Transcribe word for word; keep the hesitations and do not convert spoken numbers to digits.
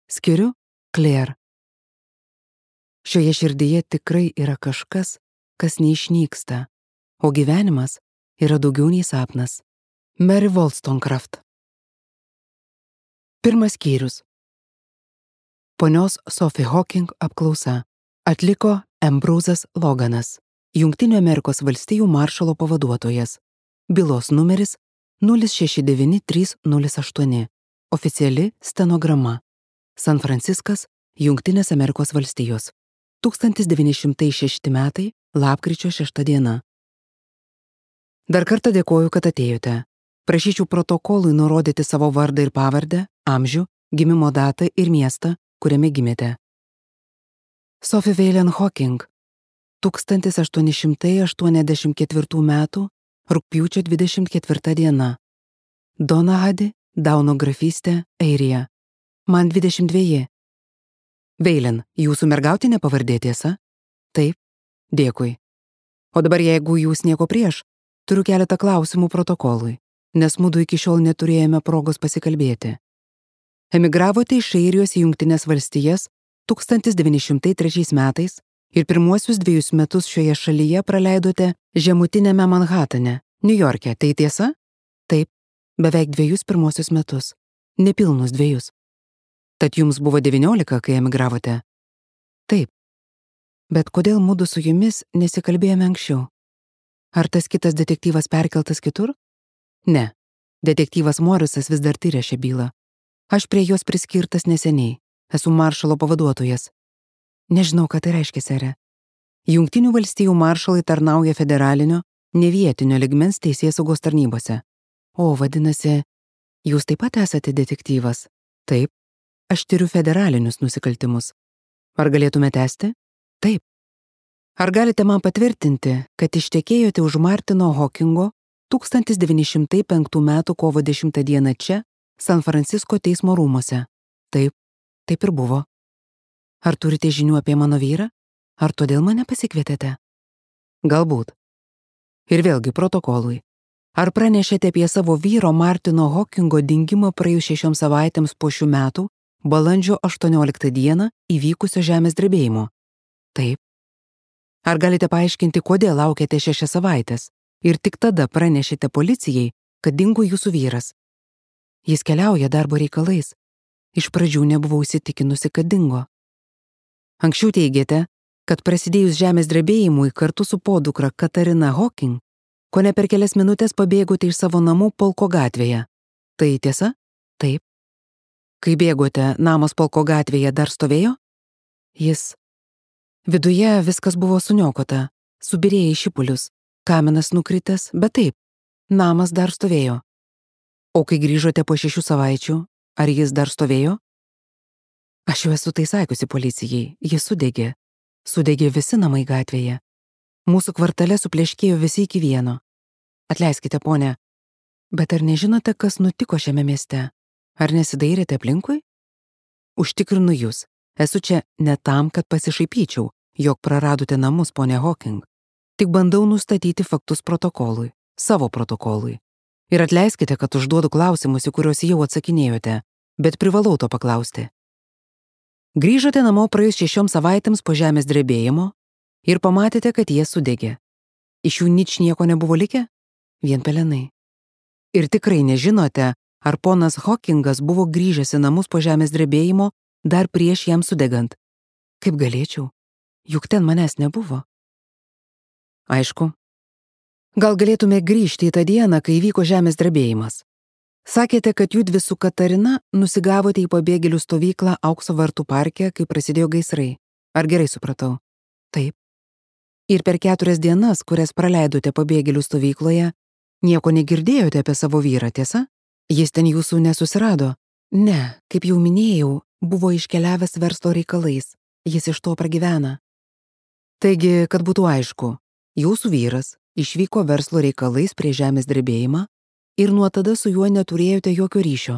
Skiriu Claire. Šioje širdyje tikrai yra kažkas, kas neišnyksta, o gyvenimas yra daugiau nei sapnas. Mary Wollstonecraft. Pirmas skyrius. Ponios Sophie Hawking apklausa atliko Ambrosas Loganas, Jungtinių Amerikos valstijų maršalo pavaduotojas. Bylos numeris nulis šeši devyni trys nulis aštuoni. Oficiali stenograma. San Franciskas, Jungtinės Amerikos valstijos. tūkstantis devyni šimtai šešti metai, lapkričio šešta diena. Dar kartą dėkoju, kad atėjote. Prašyčiau protokolui nurodyti savo vardą ir pavardę, amžių, gimimo datą ir miestą, kuriame gimėte. Sophie Valen Hawking, tūkstantis aštuoni šimtai aštuoniasdešimt ketvirtų metų, rugpjūčio dvidešimt ketvirta diena. Donahadi, Dauno grafystė, Airija. Man dvidešimt dveji. Veilen, jūsų mergautinė pavardė tiesa? Taip, dėkui. O dabar jeigu jūs nieko prieš, turiu keletą klausimų protokolui, nes mudu iki šiol neturėjome progos pasikalbėti. Emigravote iš Airijos į Jungtines valstijas tūkstantis devyni šimtai trečiais metais ir pirmuosius dviejus metus šioje šalyje praleidote žemutiniame Manhatane, Niujorke, tai tiesa? Taip, beveik dviejus pirmuosius metus, nepilnus dviejus. Tad jums buvo devyniolika, kai emigravote? Taip. Bet kodėl mudu su jumis nesikalbėjome anksčiau? Ar tas kitas detektyvas perkeltas kitur? Ne. Detektyvas Morisas vis dar tyria šią bylą. Aš prie jos priskirtas neseniai. Esu maršalo pavaduotojas. Nežinau, ką tai reiškia, sere. Jungtinių valstijų maršalai tarnauja federalinio, ne vietinio ligmens teisėsaugos tarnybose. O, vadinasi, jūs taip pat esate detektyvas? Taip. Aš tyriu federalinius nusikaltimus. Ar galėtume tęsti? Taip. Ar galite man patvirtinti, kad ištekėjote už Martino Hawkingo tūkstantis devyni šimtai penktų metų kovo dešimtą dieną čia, San Francisko teismo rūmuose? Taip, taip ir buvo. Ar turite žinių apie mano vyrą? Ar todėl mane pasikvietėte? Galbūt. Ir vėlgi protokolui. Ar pranešėte apie savo vyro Martino Hawkingo dingimą praėjus šešioms savaitėms po šių metų, balandžio aštuonioliktą dieną įvykusio žemės drebėjimo? Taip. Ar galite paaiškinti, kodėl laukėte šešias savaitės ir tik tada pranešėte policijai, kad dingo jūsų vyras? Jis keliauja darbo reikalais. Iš pradžių nebuvau įsitikinusi, kad dingo. Anksčiau teigėte, kad prasidėjus žemės drebėjimui kartu su podukra Katarina Hawking, kone per kelias minutės pabėgote iš savo namų Polko gatvėje. Tai tiesa? Taip. Kai bėgote, namas Polko gatvėje dar stovėjo? Jis. Viduje viskas buvo suniokota, subyrėjo į šipulius, kaminas nukritęs, bet taip, namas dar stovėjo. O kai grįžote po šešių savaičių, ar jis dar stovėjo? Aš jau esu tai sakiusi policijai, jis sudegė. Sudegė visi namai gatvėje. Mūsų kvartale supleškėjo visi iki vieno. Atleiskite, ponė, bet ar nežinote, kas nutiko šiame mieste? Ar nesidairėte aplinkui? Užtikrinu jūs, esu čia ne tam, kad pasišaipyčiau, jog praradote namus, ponė Hawking. Tik bandau nustatyti faktus protokolui, savo protokolui. Ir atleiskite, kad užduodu klausimus, į kuriuos jau atsakinėjote, bet privalau to paklausti. Grįžote namo praėjus šešioms savaitėms po žemės drebėjimo ir pamatėte, kad jie sudegė. Iš jų nič nieko nebuvo likę? Vien pelenai. Ir tikrai nežinote, ar ponas Hawkingas buvo grįžęs į namus po žemės drebėjimo dar prieš jam sudegant. Kaip galėčiau? Juk ten manęs nebuvo. Aišku. Gal galėtume grįžti į tą dieną, kai vyko žemės drebėjimas. Sakėte, kad judvi su Katarina nusigavote į pabėgėlių stovyklą Aukso vartų parke, kai prasidėjo gaisrai. Ar gerai supratau? Taip. Ir per keturias dienas, kurias praleidote pabėgėlių stovykloje, nieko negirdėjote apie savo vyrą, tiesa? Jis ten jūsų nesusirado? Ne, kaip jau minėjau, buvo iškeliavęs verslo reikalais. Jis iš to pragyvena. Taigi, kad būtų aišku, jūsų vyras išvyko verslo reikalais prie žemės drebėjimą ir nuo tada su juo neturėjote jokio ryšio.